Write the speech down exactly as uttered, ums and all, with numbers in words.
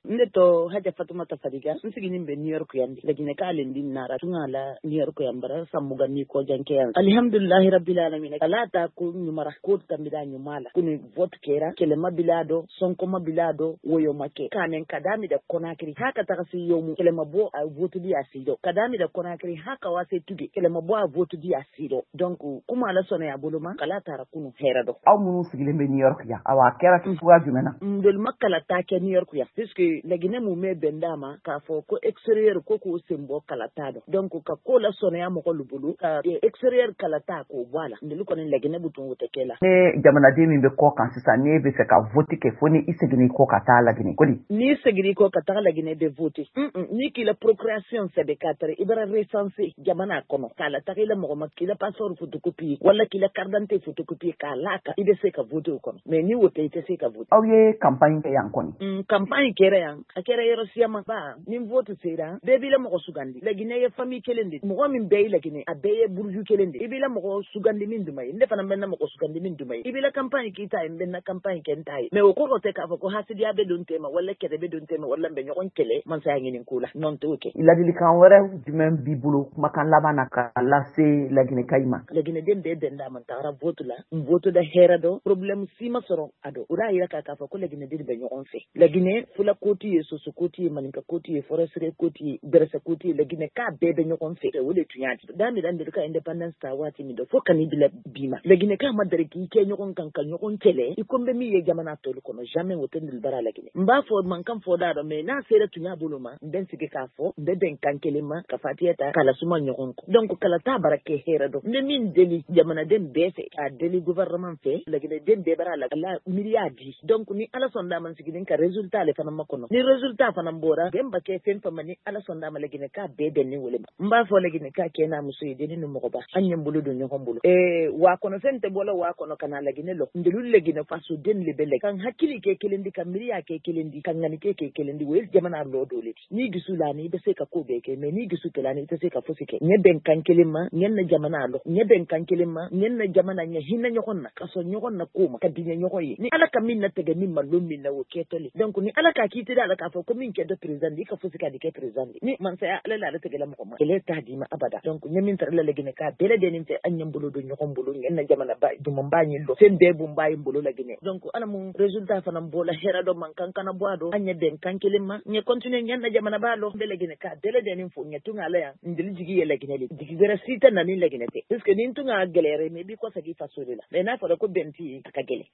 Ne tɔ Haja Fatumata Fadiga, n siginin bɛ New York yan. Laginɛ k'ale di nara tun la New York yan bara san mugan ni kɔ jan kɛ yan. Alhamdulilahi rabbil alamin, ala ta ko ɲumara ko tambira ɲuman la. Kunu vote kɛra, kɛlɛma bila dɔ, sɔnkɔma bila dɔ, woyo ma kɛ. Kanen ka dami da Conakry ha ka taga se yomu, kɛlɛma bɔ a vote di a si dɔ. Ka dami da Conakry ha ka wase tuge, kɛlɛma bɔ a vote di a si dɔ. Donc kuma ala sɔnna ya bolo ma, kala taara kunu hɛrɛ dɔ. Aw minnu sigilen bɛ New York yan, awa a kɛra cogoya jumɛn na? Ndolu ma kalata kɛ New York yan, puisque Laginɛ mun bɛ bɛn d'a ma k'a fɔ ko extérieur ko k'o sen bɔ kalata dɔ. Donc ka ko la sɔnniya mɔgɔ lu bolo ka extérieur kalata k'o bɔ a la. Ndolu kɔni Laginɛ bɛ tun o tɛ kɛ la. Ne jamanaden min bɛ kɔ kan sisan, n'e bɛ fɛ ka vote kɛ, fo ni i seginna kɔ ka taa Laginɛ ko di? N'i seginna kɔ ka taga Laginɛ bɛ vote. N'i k'i la procuration sɛbɛn k'a tara i bara recenser jamana kɔnɔ, k'a la taga i la mɔgɔ ma, k'i la passeport photocopie wala k'i la carte d'identité photocopie k'a la kan, i bɛ se ka vote o kɔnɔ. Mais ni o tɛ, i tɛ se ka vote. Aw ye campagne kɛ yan kɔni? Campagne kɛra yan, a kɛra yɔrɔ siyaman ba. Ni vote sera, bɛɛ b'i la mɔgɔ sugandi. Laginɛ ye famille kelen de, mɔgɔ min bɛɛ ye Laginɛ, a bɛɛ ye buruju kelen de. I b'i la mɔgɔ sugandi min duma ye, ne fana bɛ na mɔgɔ sugandi min duma ye. I b'i la campagne k'i ta ye, n bɛ na campagne kɛ n ta ye. Mais o kɔrɔ tɛ k'a fɔ ko hasidiya bɛ don tema wala kɛlɛ bɛ don tema wala n bɛ ɲɔgɔn kɛlɛ mansaya ɲini ko la. Non, t'o kɛ. Ladilikan wɛrɛ jumɛn b'i bolo kumakan laban na ka lase Laginɛkaw ma? Laginɛden bɛɛ bɛn d'a ma, n tagara vote la, n vote da hɛrɛ dɔ, problème si ma sɔrɔ a dɔn. O y'a yira k'a fɔ ko Laginɛden bɛ ɲɔgɔn fɛ. Laginɛ fula koti ye, soso koti ye, maninka koti ye, forestier koti ye, bɛrɛsɛ koti ye, Laginɛ k'a bɛɛ bɛ ɲɔgɔn fɛ. O de tun y'a di. Da min ka indépendance ta waati min dɔ fo ka n'i bila bi ma, Laginɛ k'a ma deli k'i kɛ ɲɔgɔn kan ka ɲɔgɔn kɛlɛ i ko n bɛ min ye jamana tɔlu kɔnɔ, jamais o tɛ nin bara Laginɛ. N b'a fɔ mankan fɔ da dɔn, mais n'a sera tun y'a bolo ma, n bɛ n sigi k'a fɔ, n bɛ bɛn kan kelen ma ka fatiya ta k'a lasuma ɲɔgɔn kɔ. Donc kalata bara kɛ hɛrɛ dɔn. N bɛ min deli jamanaden bɛɛ fɛ, k'a deli gouvernement fɛ, Laginɛden bɛɛ bara la ala miiriya di. Donc ni ala sɔn d'a ma, n sigilen ka résultat ale fana ma kɔnɔ. Ni résultat fana bɔra, bɛn ba kɛ fɛn fɛn ma, ni ala sɔn d'a ma, Laginɛ k'a bɛɛ bɛn ni wele ma. N b'a fɔ Laginɛ k'a kɛ n'a muso ye, denni ni mɔgɔba, an ɲɛ bolo don ɲɔgɔn bolo. Ee waa kɔnɔ fɛn tɛ bɔla waa kɔnɔ ka na Laginɛ lɔ. Ndelu Laginɛ fasoden le bɛ lɛ. Ka n hakili kɛ kelen di, ka miiriya kɛ kelen di, ka ŋani kɛ kɛ kelen di, o ye jamana lɔ dɔ le di. N'i dusu la ni i bɛ se ka ko bɛɛ kɛ, mais n'i dusu tɛ la ni i tɛ se ka fosi kɛ. Ɲɛ bɛn kan kelen ma, ɲɛ na jamana lɔ. Ɲɛ bɛn kan kelen ma, ɲɛ na jamana, ɲɛ hinɛ ɲɔgɔn na, ka sɔn ɲɔgɔn na ko ma, ka diɲɛ ɲɔgɔn ye. Ni ala ka min natigɛ min ma lon min na, o kɛtɔ le. Donc ni ala k'a k'i teri ala k'a fɔ ko min kɛ dɔ président di, i ka fosi ka di kɛ président di. Ni mansaya ala la ala tɛgɛla mɔgɔ ma, kɛlɛ t'a d'i ma abada. Donc ɲɛ min taara la Laginɛ k'a bɛɛ lajɛlen fɛ, an ɲɛ bolo don ɲɔgɔn bolo, ɲɛ na jamana ba duman b'a ɲɛ lɔ, fɛn bɛɛ bun b'a ye bolo Laginɛ. Donc ala mun résultat fana bɔla hɛrɛ dɔ, man kan kana bɔ a dɔn, an ɲɛ bɛn kan kelen ma, ɲɛ continuer ɲɛ na jamana b'a lɔ. N bɛ Laginɛ k'a bɛɛ lajɛlen fo, ɲɛ tun ala yan, n deli jigi ye Laginɛ le, jigi wɛrɛ si tɛ na ni Laginɛ tɛ, puisque ni n tun ka gɛlɛyara, mais i b'i kɔsegin i faso de la. Mais n'a fɔra ko bɛn tɛ yen, a ka gɛlɛn.